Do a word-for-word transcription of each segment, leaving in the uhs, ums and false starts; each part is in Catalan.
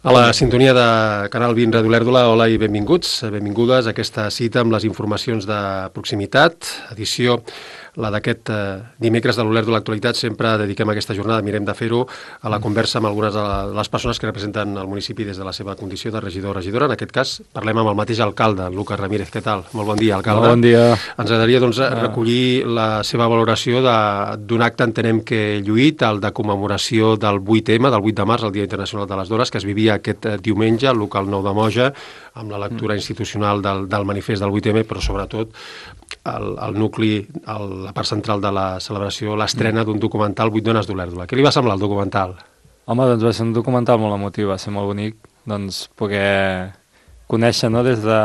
A la sintonia de Canal vint Ràdio Olèrdola, hola i benvinguts, benvingudes a aquesta cita amb les informacions de proximitat, edició la d'aquest eh, dimecres de l'Olèrdola Actualitat. Sempre dediquem aquesta jornada, mirem de fer-ho, a la conversa amb algunes de les persones que representen el municipi des de la seva condició de regidor o regidora. En aquest cas parlem amb el mateix alcalde, Lucas Ramírez. Què tal? Molt bon dia, alcalde. Molt bon dia. Ens agradaria doncs, recollir la seva valoració d'un acte, entenem que lluït, el de commemoració del vuit eme, del vuit de març, el Dia Internacional de les Dones, que es vivia aquest diumenge al local nou de Moja, amb la lectura institucional del, del manifest del vuit eme, però sobretot el, el nucli, el, la part central de la celebració, l'estrena d'un documental, vuit dones d'Olèrdola. Què li va semblar el documental? Home, doncs va ser un documental molt emotiu, va ser molt bonic, doncs poder conèixer, no, des de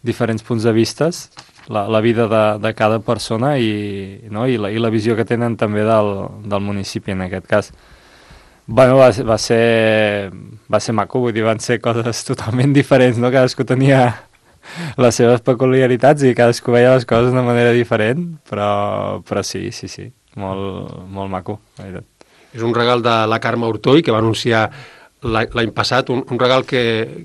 diferents punts de vistes la, la vida de, de cada persona i, no, i, la, i la visió que tenen també del, del municipi en aquest cas. Bueno, va, va, ser, va ser maco, vull dir, van ser coses totalment diferents, no? Cadascú tenia les seves peculiaritats i cadascú veia les coses d'una manera diferent, però, però sí, sí, sí, molt, molt maco, la veritat. És un regal de la Carme Ortoll, que va anunciar l'any passat, un, un regal que,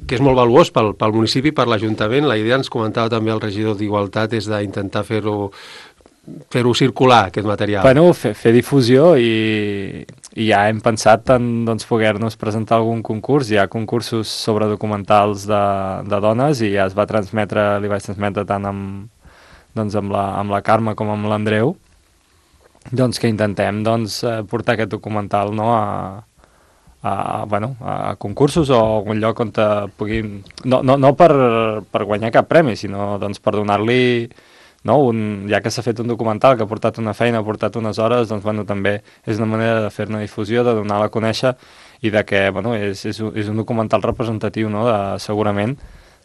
que és molt valuós pel, pel municipi, per l'Ajuntament. La idea, ens comentava també el regidor d'Igualtat, és d'intentar fer-ho fer-ho circular, aquest material. Bueno, fer, fer difusió i, i ja hem pensat en doncs, poder-nos presentar algun concurs. Hi ha concursos sobre documentals de, de dones i ja es va transmetre, li vaig transmetre tant amb, doncs, amb, la, amb la Carme com amb l'Andreu, doncs que intentem doncs, portar aquest documental, no, a, a, bueno, a concursos o a algun lloc on te puguin... No, no, no per, per guanyar cap premi, sinó doncs, per donar-li... No, un, ja que s'ha fet un documental que ha portat una feina, ha portat unes hores, doncs bueno, també és una manera de fer-ne difusió, de donar-la a conèixer i de que bueno, és, és, és un documental representatiu, no, de, segurament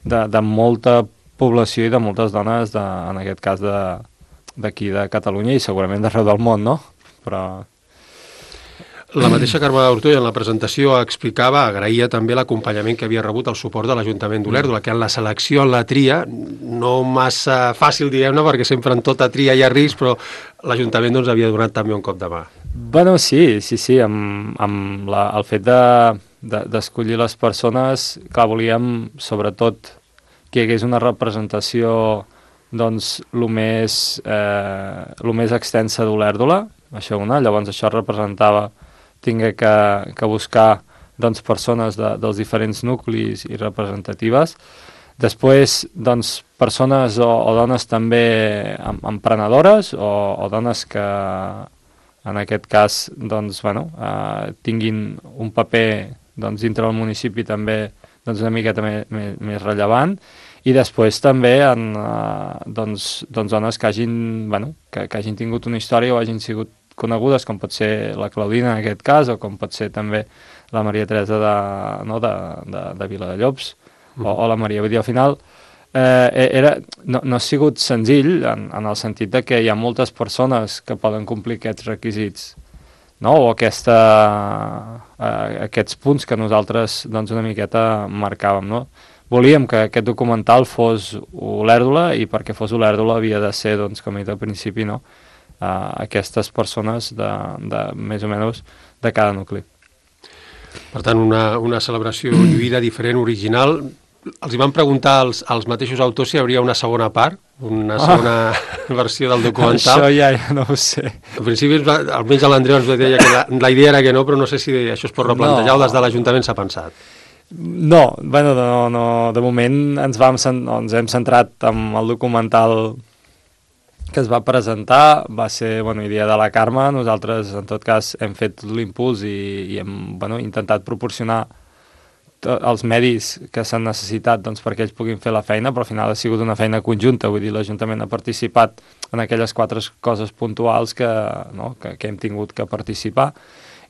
de, de molta població i de moltes dones, de, en aquest cas d'aquí de, de Catalunya i segurament d'arreu del món, no? Però... La mateixa Carme Ortoll en la presentació explicava, agraïa també l'acompanyament que havia rebut, el suport de l'Ajuntament d'Olèrdola, que en la selecció, en la tria, no massa fàcil, diguem-ne, perquè sempre en tota tria hi ha risc, però l'Ajuntament doncs, havia donat també un cop de mà. Bueno, sí, sí, sí, amb, amb la, el fet d'escollir de, de, les persones, clar, volíem, sobretot, que hi hagués una representació, doncs, el més, eh, lo més extensa d'Olèrdola, això una, llavors això representava tingué que, que buscar doncs, persones de, dels diferents nuclis i representatives. Després, doncs, persones o, o dones també emprenedores o, o dones que, en aquest cas, doncs, bueno, eh, tinguin un paper doncs, dintre del municipi també doncs, una miqueta més, més, més rellevant. I després també en, eh, doncs, doncs dones que hagin, bueno, que, que hagin tingut una història o hagin sigut conegudes, com pot ser la Claudina en aquest cas, o com pot ser també la Maria Teresa de, no, de, de, de Viladellobs, mm. o, o la Maria. Vull dir, al final, eh, era, no, no ha sigut senzill, en, en el sentit de que hi ha moltes persones que poden complir aquests requisits, no? O aquesta, eh, aquests punts que nosaltres doncs, una miqueta marcàvem, no? Volíem que aquest documental fos Olèrdola i perquè fos Olèrdola havia de ser, doncs, com he dit al principi, no? Uh, aquestes persones de, de més o menys de cada nucli. Per tant, una, una celebració lluïda, diferent, original. Els hi van preguntar als, als mateixos autors si hi hauria una segona part, una segona ah, versió del documental. Això ja, ja no ho sé. Al principi, almenys a l'Andreu ens deia que la, la idea era que no, però no sé si això es pot replantejar no. o des de l'Ajuntament s'ha pensat. No, bueno, no, no, de moment ens, vam, ens hem centrat en el documental que es va presentar, va ser bueno, idea de la Carme. Nosaltres en tot cas hem fet l'impuls i, i hem bueno, intentat proporcionar els medis que s'han necessitat doncs, perquè ells puguin fer la feina, però al final ha sigut una feina conjunta, vull dir, l'Ajuntament ha participat en aquelles quatre coses puntuals que, no, que, que hem tingut que participar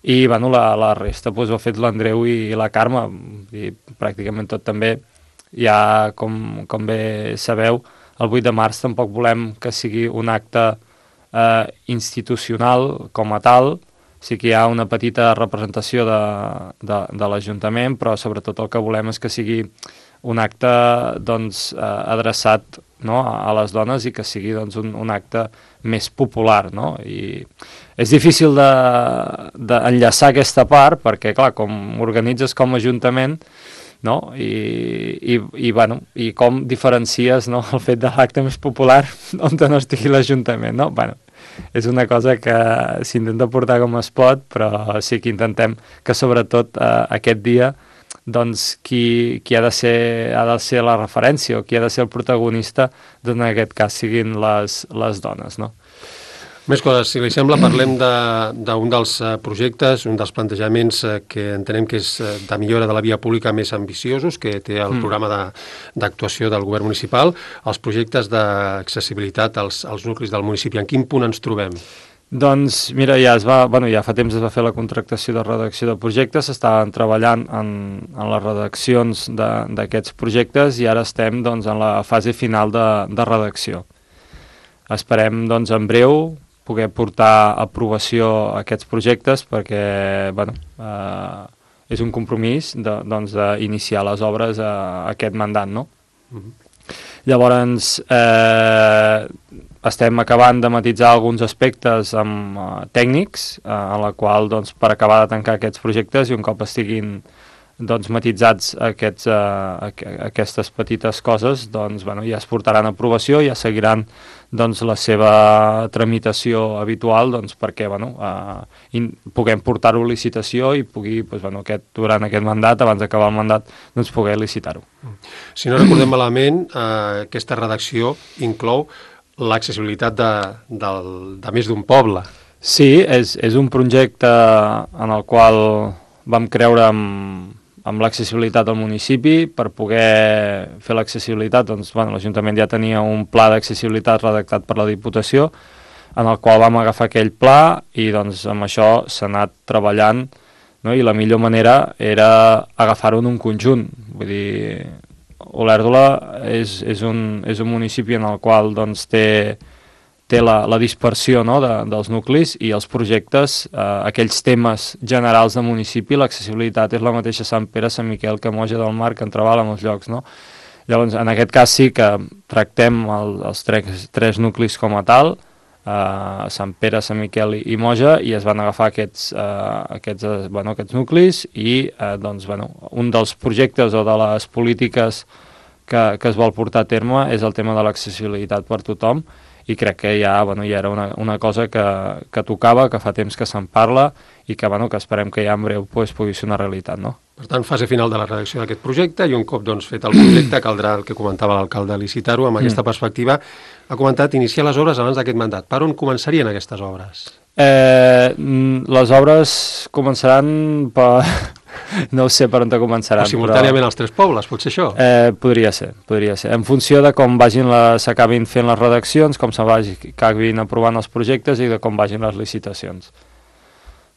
i bueno, la, la resta doncs, ho ha fet l'Andreu i, i la Carme i pràcticament tot també ja com, com bé sabeu el vuit de març tampoc volem que sigui un acte eh, institucional com a tal, sí que hi ha una petita representació de, de, de l'Ajuntament, però sobretot el que volem és que sigui un acte doncs, eh, adreçat, no?, a les dones i que sigui doncs, un, un acte més popular, no? I és difícil d'enllaçar de, de aquesta part perquè, clar, com organitzes com a ajuntament, no? I, i, i, bueno, i com diferencies, no?, el fet de l'acte més popular on no estigui l'Ajuntament, no? Bueno, és una cosa que s'intenta portar com es pot, però sí que intentem que sobretot eh, aquest dia doncs qui, qui ha, de ser, ha de ser la referència o qui ha de ser el protagonista, doncs en aquest cas siguin les, les dones, no? Més coses, si li sembla, parlem d'un de, dels projectes, un dels plantejaments que entenem que és de millora de la via pública més ambiciosos, que té el mm. programa d'actuació de, del govern municipal, els projectes d'accessibilitat als, als nuclis del municipi. En quin punt ens trobem? Doncs mira, ja es va, bueno, ja fa temps es va fer la contractació de redacció de projectes, estaven treballant en, en les redaccions d'aquests projectes i ara estem doncs, en la fase final de, de redacció. Esperem doncs, en breu poder portar a aprovació aquests projectes perquè bueno, eh, és un compromís de, doncs, d'iniciar les obres a, a aquest mandat, no? Mm-hmm. Llavors, eh, estem acabant de matitzar alguns aspectes amb, uh, tècnics, uh, en la qual, doncs, per acabar de tancar aquests projectes i un cop estiguin doncs, matitzats aquests, uh, aqu aquestes petites coses, doncs, bueno, ja es portaran a aprovació, ja seguiran doncs, la seva tramitació habitual doncs, perquè bueno, uh, in, puguem portar-ho a licitació i pugui, doncs, bueno, aquest, durant aquest mandat, abans d'acabar el mandat, doncs, poder licitar-ho. Si no recordem malament, uh, aquesta redacció inclou l'accessibilitat de, de, de més d'un poble. Sí, és, és un projecte en el qual vam creure amb, amb l'accessibilitat al municipi. Per poder fer l'accessibilitat, doncs, bueno, l'Ajuntament ja tenia un pla d'accessibilitat redactat per la Diputació, en el qual vam agafar aquell pla i doncs, amb això s'ha anat treballant, no? I la millor manera era agafar-ho en un conjunt. Vull dir, Olèrdola és, és, un, és un municipi en el qual doncs, té, té la, la dispersió, no?, de, dels nuclis i els projectes, eh, aquells temes generals del municipi, l'accessibilitat és la mateixa Sant Pere, Sant Miquel, Camoja del Mar, que en treballa molts llocs, no? Llavors, en aquest cas sí que tractem el, els tres, tres nuclis com a tal, eh, Sant Pere, Sant Miquel i, i Moja, i es van agafar aquests, eh, aquests, eh, bueno, aquests nuclis i eh, doncs, bueno, un dels projectes o de les polítiques que, que es vol portar a terme és el tema de l'accessibilitat per tothom i crec que ja, bueno, ja era una, una cosa que, que tocava, que fa temps que se'n parla i que, bueno, que esperem que ja en breu pues, pugui ser una realitat, no? Per tant, fase final de la redacció d'aquest projecte i un cop doncs, fet el projecte caldrà el que comentava l'alcalde licitar-ho. Amb aquesta mm. perspectiva ha comentat iniciar les obres abans d'aquest mandat. Per on començarien aquestes obres? Eh, les obres començaran per... No ho sé per on te començaran. O simultàniament però... als tres pobles, pot ser això? Eh, podria ser, podria ser. En funció de com vagin s'acabin fent les redaccions, com s'acabin aprovant els projectes i de com vagin les licitacions.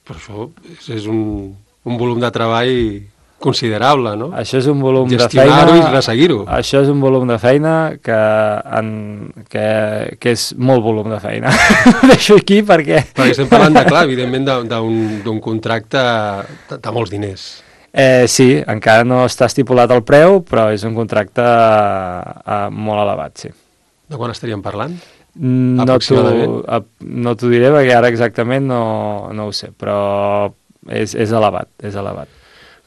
Però això és, és un, un volum de treball considerable, no? Això és un volum de feina... Gestionar-ho i resseguir-ho. Això és un volum de feina que, en, que, que és molt volum de feina. Deixo aquí perquè... Perquè estem parlant, de, clar, evidentment, d'un contracte de, de molts diners. Eh, sí, encara no està estipulat el preu, però és un contracte eh, molt elevat, sí. De quan estaríem parlant? No t'ho diré perquè ara exactament no, no ho sé, però és, és elevat, és elevat.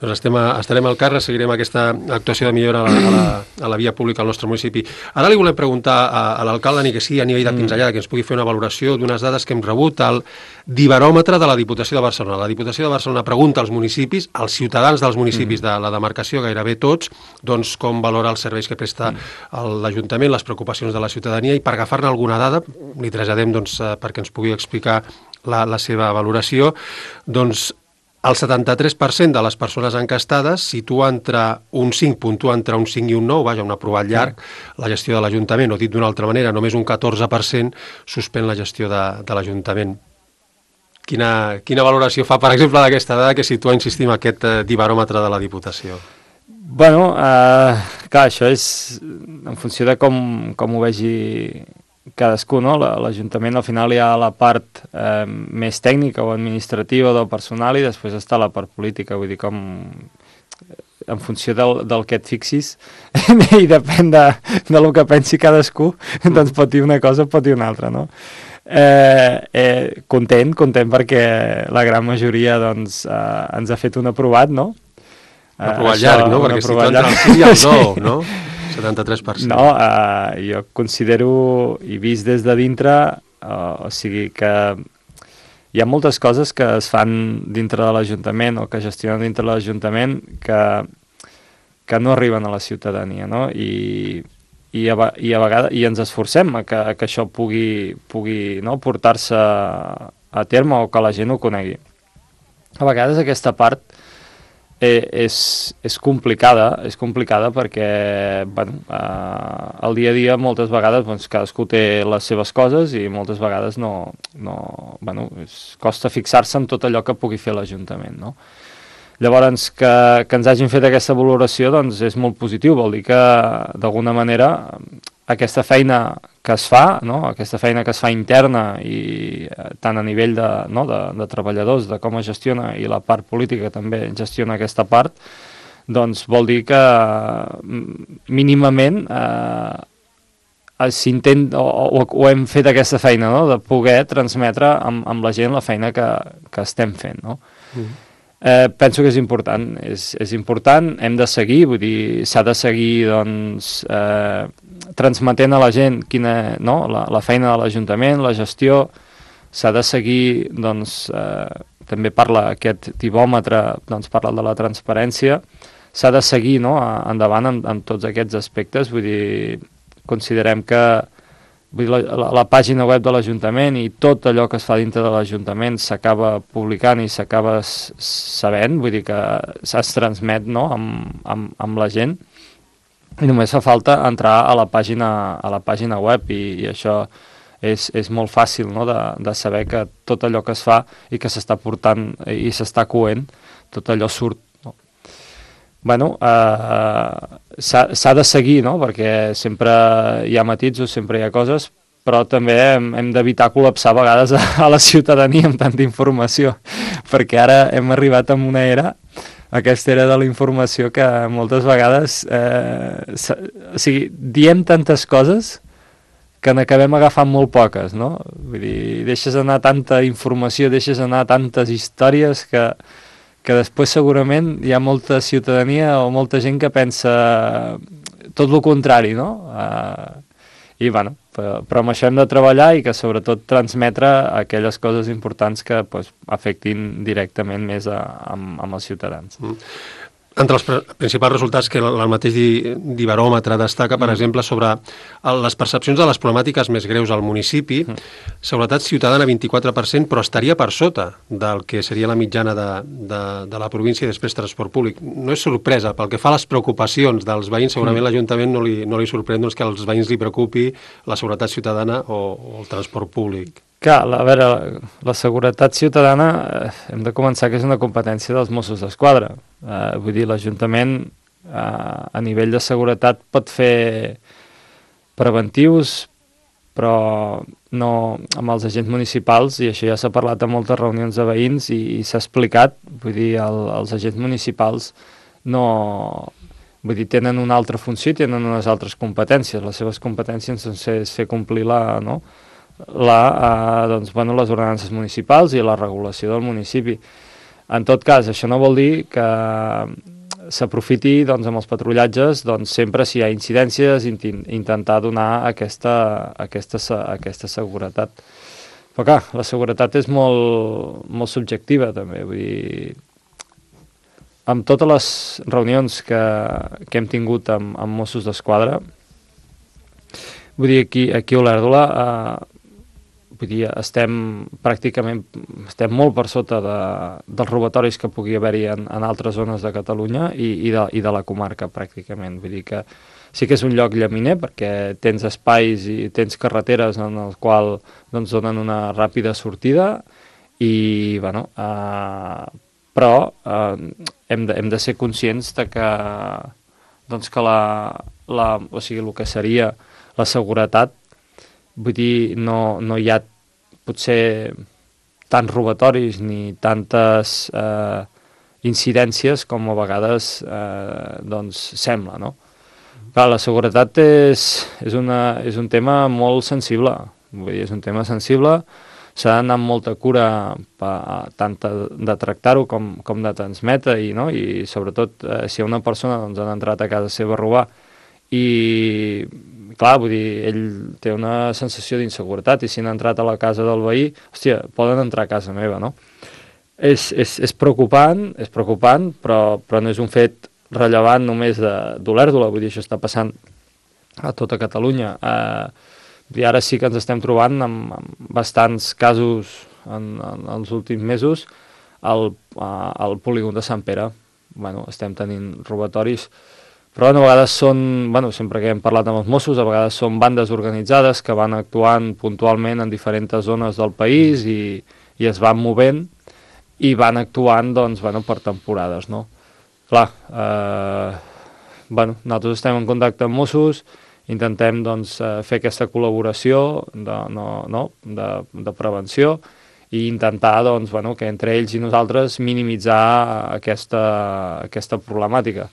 Doncs estem a, estarem al carrer, seguirem aquesta actuació de millora a la, a, la, a la via pública al nostre municipi. Ara li volem preguntar a, a l'alcalde, ni que sigui a nivell de pinzellada, que ens pugui fer una valoració d'unes dades que hem rebut al diveròmetre de la Diputació de Barcelona. La Diputació de Barcelona pregunta als municipis, als ciutadans dels municipis de la demarcació, gairebé tots, doncs com valora els serveis que presta l'Ajuntament, les preocupacions de la ciutadania, i per agafar-ne alguna dada, li traslladem doncs, perquè ens pugui explicar la, la seva valoració, doncs el setanta-tres per cent de les persones encastades situa entre un cinc, puntua entre un cinc i un nou, vaja, un aprovat llarg, la gestió de l'Ajuntament, o dit d'una altra manera, només un catorze per cent suspèn la gestió de, de l'Ajuntament. Quina, quina valoració fa, per exemple, d'aquesta dada que situa, insistim, aquest eh, diveròmetre de la Diputació? Bueno, eh, clar, això és en funció de com, com ho vegi cadascú, no? L'Ajuntament al final hi ha la part eh, més tècnica o administrativa del personal i després està la part política, vull dir, com en funció del, del que et fixis i depèn de, de lo que pensi cadascú, doncs pot dir una cosa o pot dir una altra, no? Eh, eh, content, content perquè la gran majoria doncs, eh, ens ha fet un aprovat, no? Un aprovat uh, llarg, no? Perquè si tu entra el sí i el no, no? setanta-tres per cent. No, uh, jo considero, i vist des de dintre, uh, o sigui que hi ha moltes coses que es fan dintre de l'Ajuntament o que gestionen dintre de l'Ajuntament que, que no arriben a la ciutadania, no? I, i, a, i a vegades i ens esforcem a que, a que això pugui, pugui no, portar-se a terme o que la gent ho conegui. A vegades aquesta part Eh, és, és complicada, és complicada perquè bueno, eh, el dia a dia moltes vegades doncs, cadascú té les seves coses i moltes vegades no, no, bueno, és, costa fixar-se en tot allò que pugui fer l'Ajuntament, no? Llavors, que, que ens hagin fet aquesta valoració doncs, és molt positiu, vol dir que d'alguna manera aquesta feina que es fa, no? Aquesta feina que es fa interna i eh, tant a nivell de, no? de, de treballadors, de com es gestiona i la part política també gestiona aquesta part, doncs vol dir que mínimament eh, s'intent o, o, o hem fet aquesta feina, no? De poder transmetre amb, amb la gent la feina que, que estem fent, no? Mm. Eh, penso que és important, és, és important, hem de seguir, vull dir, s'ha de seguir doncs, eh, transmetent a la gent quina, no? la, la feina de l'Ajuntament, la gestió, s'ha de seguir, doncs, eh, també parla aquest tibòmetre, doncs parla de la transparència, s'ha de seguir no? endavant amb, amb tots aquests aspectes, vull dir, considerem que vull dir, la, la, la pàgina web de l'Ajuntament i tot allò que es fa dintre de l'Ajuntament s'acaba publicant i s'acaba sabent, vull dir que es transmet no? amb, amb, amb la gent i només fa falta entrar a la pàgina, a la pàgina web i, i això és, és molt fàcil no? de, de saber que tot allò que es fa i que s'està portant i s'està coent, tot allò surt. Bueno, eh, s'ha de seguir, no? Perquè sempre hi ha matisos, sempre hi ha coses, però també hem, hem d'evitar col·lapsar a vegades a, a la ciutadania amb tanta informació, perquè ara hem arribat a una era, aquesta era de la informació que moltes vegades, eh, o sigui, diem tantes coses que n'acabem agafant molt poques, no? Vull dir, deixes anar tanta informació, deixes anar tantes històries que... que després segurament hi ha molta ciutadania o molta gent que pensa tot el contrari, no? Uh, I, bueno, però, però amb això hem de treballar i que sobretot transmetre aquelles coses importants que pues, afectin directament més a, amb, amb els ciutadans. Mm. Entre els principals resultats que el mateix Dibaròmetre destaca, per mm. exemple, sobre les percepcions de les problemàtiques més greus al municipi, mm. seguretat ciutadana vint-i-quatre per cent, però estaria per sota del que seria la mitjana de, de, de la província i després transport públic. No és sorpresa, pel que fa a les preocupacions dels veïns, segurament mm. l'Ajuntament no li, no li sorprèn doncs, que als veïns li preocupi la seguretat ciutadana o, o el transport públic. Clar, a veure, la, la seguretat ciutadana eh, hem de començar que és una competència dels Mossos d'Esquadra. Eh, vull dir, l'Ajuntament eh, a nivell de seguretat pot fer preventius, però no amb els agents municipals, i això ja s'ha parlat en moltes reunions de veïns i, i s'ha explicat, vull dir, el, els agents municipals no... Vull dir, tenen una altra funció i tenen unes altres competències. Les seves competències doncs, és fer complir la... No? La, eh, doncs, bueno, les ordenances municipals i la regulació del municipi. En tot cas, això no vol dir que s'aprofiti doncs, amb els patrullatges doncs, sempre si hi ha incidències intentar donar aquesta, aquesta, aquesta seguretat. Però clar, la seguretat és molt, molt subjectiva també, vull dir, amb totes les reunions que, que hem tingut amb, amb Mossos d'Esquadra, vull dir, aquí, aquí a Olèrdola eh, vull dir, estem pràcticament estem molt per sota de, dels robatoris que pugui haver-hi en, en altres zones de Catalunya i, i, de, i de la comarca pràcticament. Vull dir que sí que és un lloc llaminer perquè tens espais i tens carreteres en el qual doncs, donen una ràpida sortida i, bueno, eh, però eh, hem, de, hem de ser conscients de que, doncs, que la, la, o sigui, el que seria la seguretat, vull dir, no, no hi ha potser tants robatoris ni tantes eh, incidències com a vegades eh, doncs sembla, no? Clar, la seguretat és, és, una, és un tema molt sensible, vull dir, és un tema sensible, s'ha d'anar amb molta cura pa, tant de tractar-ho com, com de transmetre, i, no? I sobretot eh, si una persona doncs, ha entrat a casa seva a robar i, clar, vull dir, ell té una sensació d'inseguretat i si han entrat a la casa del veí, hòstia, poden entrar a casa meva, no? És, és, és preocupant, és preocupant, però, però no és un fet rellevant només d'Olèrdola, vull dir, això està passant a tota Catalunya. Eh, i ara sí que ens estem trobant amb, amb bastants casos en, en els últims mesos al, al polígon de Sant Pere. Bueno, estem tenint robatoris, però a vegades són, bueno, sempre que hem parlat amb els Mossos, a vegades són bandes organitzades que van actuant puntualment en diferents zones del país i, i es van movent i van actuant, doncs, bueno, per temporades, no? Clar, eh, bueno, nosaltres estem en contacte amb Mossos, intentem doncs, fer aquesta col·laboració de, no, no, de, de prevenció i intentar doncs, bueno, que entre ells i nosaltres minimitzar aquesta, aquesta problemàtica.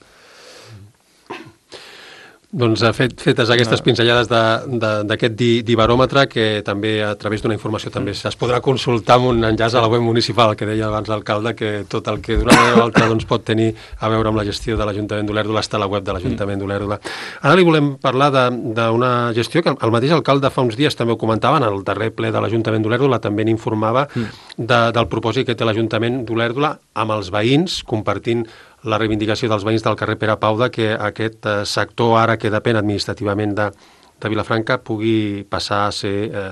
Doncs fet, fetes aquestes pinzellades d'aquest di, dibaròmetre, que també a través d'una informació també es podrà consultar amb un enllaç a la web municipal, que deia abans l'alcalde, que tot el que d'una manera o altra doncs, pot tenir a veure amb la gestió de l'Ajuntament d'Olèrdola està a la web de l'Ajuntament d'Olèrdola. Ara li volem parlar d'una gestió que el mateix alcalde fa uns dies també ho comentava, en el darrer ple de l'Ajuntament d'Olèrdola també n'informava de, del propòsit que té l'Ajuntament d'Olèrdola amb els veïns, compartint la reivindicació dels veïns del carrer Pere Pau de que aquest eh, sector, ara que depèn administrativament de, de Vilafranca, pugui passar a ser eh,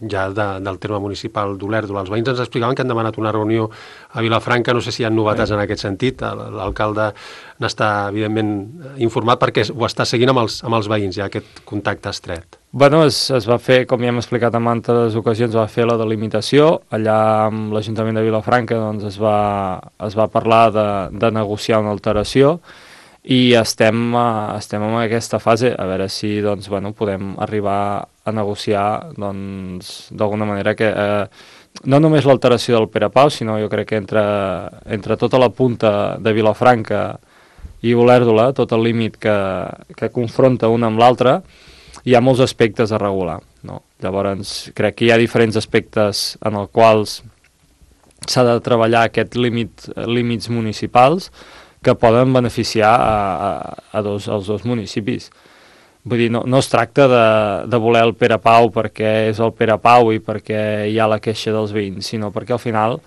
ja de, del terme municipal d'Olèrdola. Els veïns ens explicaven que han demanat una reunió a Vilafranca, no sé si hi ha novetats en aquest sentit, l'alcalde n'està evidentment informat perquè ho està seguint amb els, amb els veïns, ja aquest contacte estret. Bueno, es, es va fer, com ja hem explicat en altres ocasions, es va fer la delimitació, allà amb l'Ajuntament de Vilafranca doncs, es, va, es va parlar de, de negociar una alteració i estem, uh, estem en aquesta fase, a veure si doncs, bueno, podem arribar a negociar doncs, d'alguna manera que eh, no només l'alteració del Pere Pau, sinó jo crec que entre, entre tota la punta de Vilafranca i Olèrdola, tot el límit que, que confronta una amb l'altra, hi ha molts aspectes a regular. No? Llavors, crec que hi ha diferents aspectes en els quals s'ha de treballar aquests límit, límits municipals que poden beneficiar a, a, a dos, als dos municipis. Vull dir, no, no es tracta de, de voler el Pere Pau perquè és el Pere Pau i perquè hi ha la queixa dels veïns, sinó perquè al final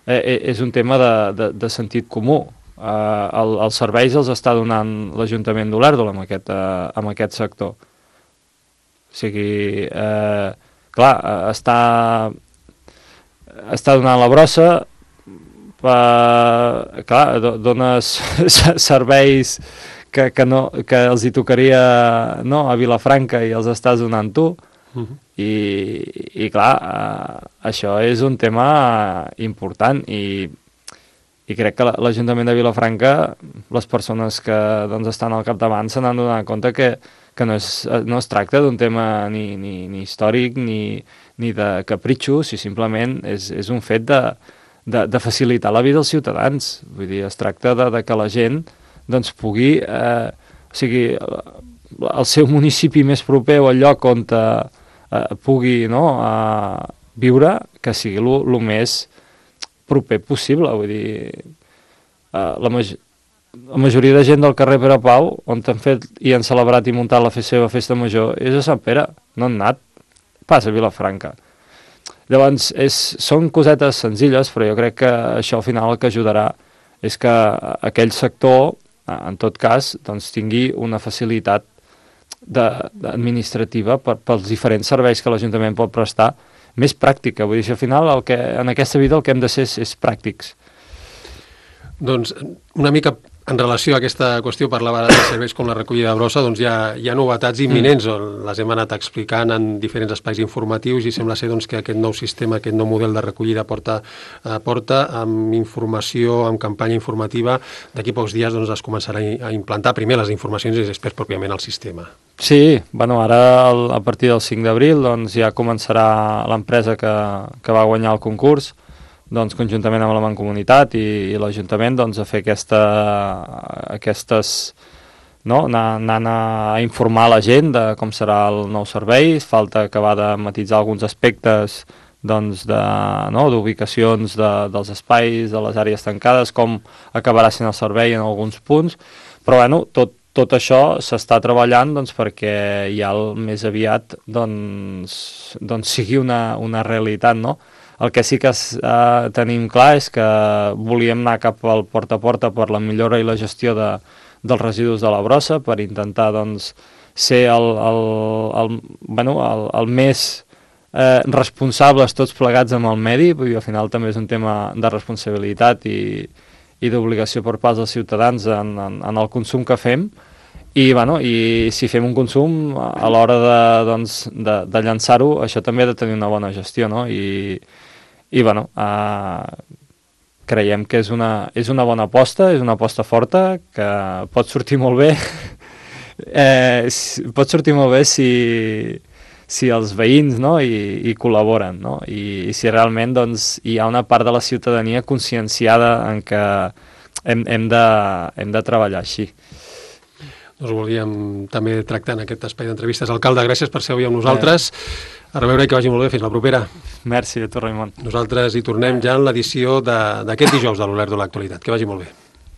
eh, és un tema de, de, de sentit comú. Eh, el, els serveis els està donant l'Ajuntament d'Olèrdola amb, aquest, eh, amb aquest sector. O sigui, eh, clar, està, està donant la brossa, eh, clar, dones serveis que, que, no, que els hi tocaria no, a Vilafranca i els estàs donant tu, uh-huh. I, i clar, eh, això és un tema important i, i crec que l'Ajuntament de Vilafranca, les persones que doncs, estan al capdavant se n'han donat compte que, que no, és, no es tracta d'un tema ni, ni, ni històric ni, ni de capritxo, si simplement és, és un fet de, de, de facilitar la vida als ciutadans. Vull dir, es tracta de, de que la gent doncs pugui, eh, o sigui, el seu municipi més proper o el lloc on eh, pugui no, eh, viure, que sigui el més proper possible. Vull dir, eh, la, maj la majoria de gent del carrer Pere Pau, on han fet i han celebrat i muntat la seva festa major, és a Sant Pere, no han anat pas a Vilafranca. Llavors, és, són cosetes senzilles, però jo crec que això al final el que ajudarà és que aquell sector, en tot cas, doncs, tingui una facilitat de, de administrativa per, pels diferents serveis que l'Ajuntament pot prestar, més pràctica. Vull dir, al final, el que, en aquesta vida el que hem de ser és, és pràctics. Doncs una mica en relació a aquesta qüestió, parlava de serveis com la recollida de brossa, doncs hi ha, hi ha novetats imminents, mm. les hem anat explicant en diferents espais informatius i sembla ser doncs, que aquest nou sistema, aquest nou model de recollida porta, eh, porta amb informació, amb campanya informativa, d'aquí pocs dies doncs, es començarà a implantar primer les informacions i després pròpiament el sistema. Sí, bueno, ara el, a partir del cinc d'abril doncs, ja començarà l'empresa que, que va guanyar el concurs, doncs, conjuntament amb la Mancomunitat i, i l'Ajuntament, doncs, a fer aquesta, aquestes... No? Anant a informar la gent de com serà el nou servei. Falta acabar de matitzar alguns aspectes doncs, de, no? d'ubicacions de, dels espais, de les àrees tancades, com acabarà sent el servei en alguns punts, però bueno, tot, tot això s'està treballant doncs, perquè ja el més aviat doncs, doncs sigui una, una realitat, no? El que sí que eh, tenim clar és que volíem anar cap al porta a porta per la millora i la gestió de dels residus de la brossa, per intentar doncs, ser el, el, el, bueno, el, el més eh, responsables tots plegats amb el medi, perquè al final també és un tema de responsabilitat i, i d'obligació per part dels ciutadans en, en, en el consum que fem, i, bueno, i si fem un consum a l'hora de, doncs, de, de llançar-ho, això també ha de tenir una bona gestió, no? I, i bueno, eh, creiem que és una, és una bona aposta, és una aposta forta, que pot sortir molt bé, eh, pot sortir molt bé si, si els veïns, no? I, i col·laboren, no? I, i si realment doncs, hi ha una part de la ciutadania conscienciada en que hem, hem, de, hem de treballar així. Doncs volíem també tractar en aquest espai d'entrevistes. Alcalde, gràcies per ser avui amb nosaltres. A reveure i que vagi molt bé. Fins la propera. Merci a tu, Raimon. Nosaltres hi tornem ja en l'edició d'aquest dijous de l'Olert de l'Actualitat. Que vagi molt bé.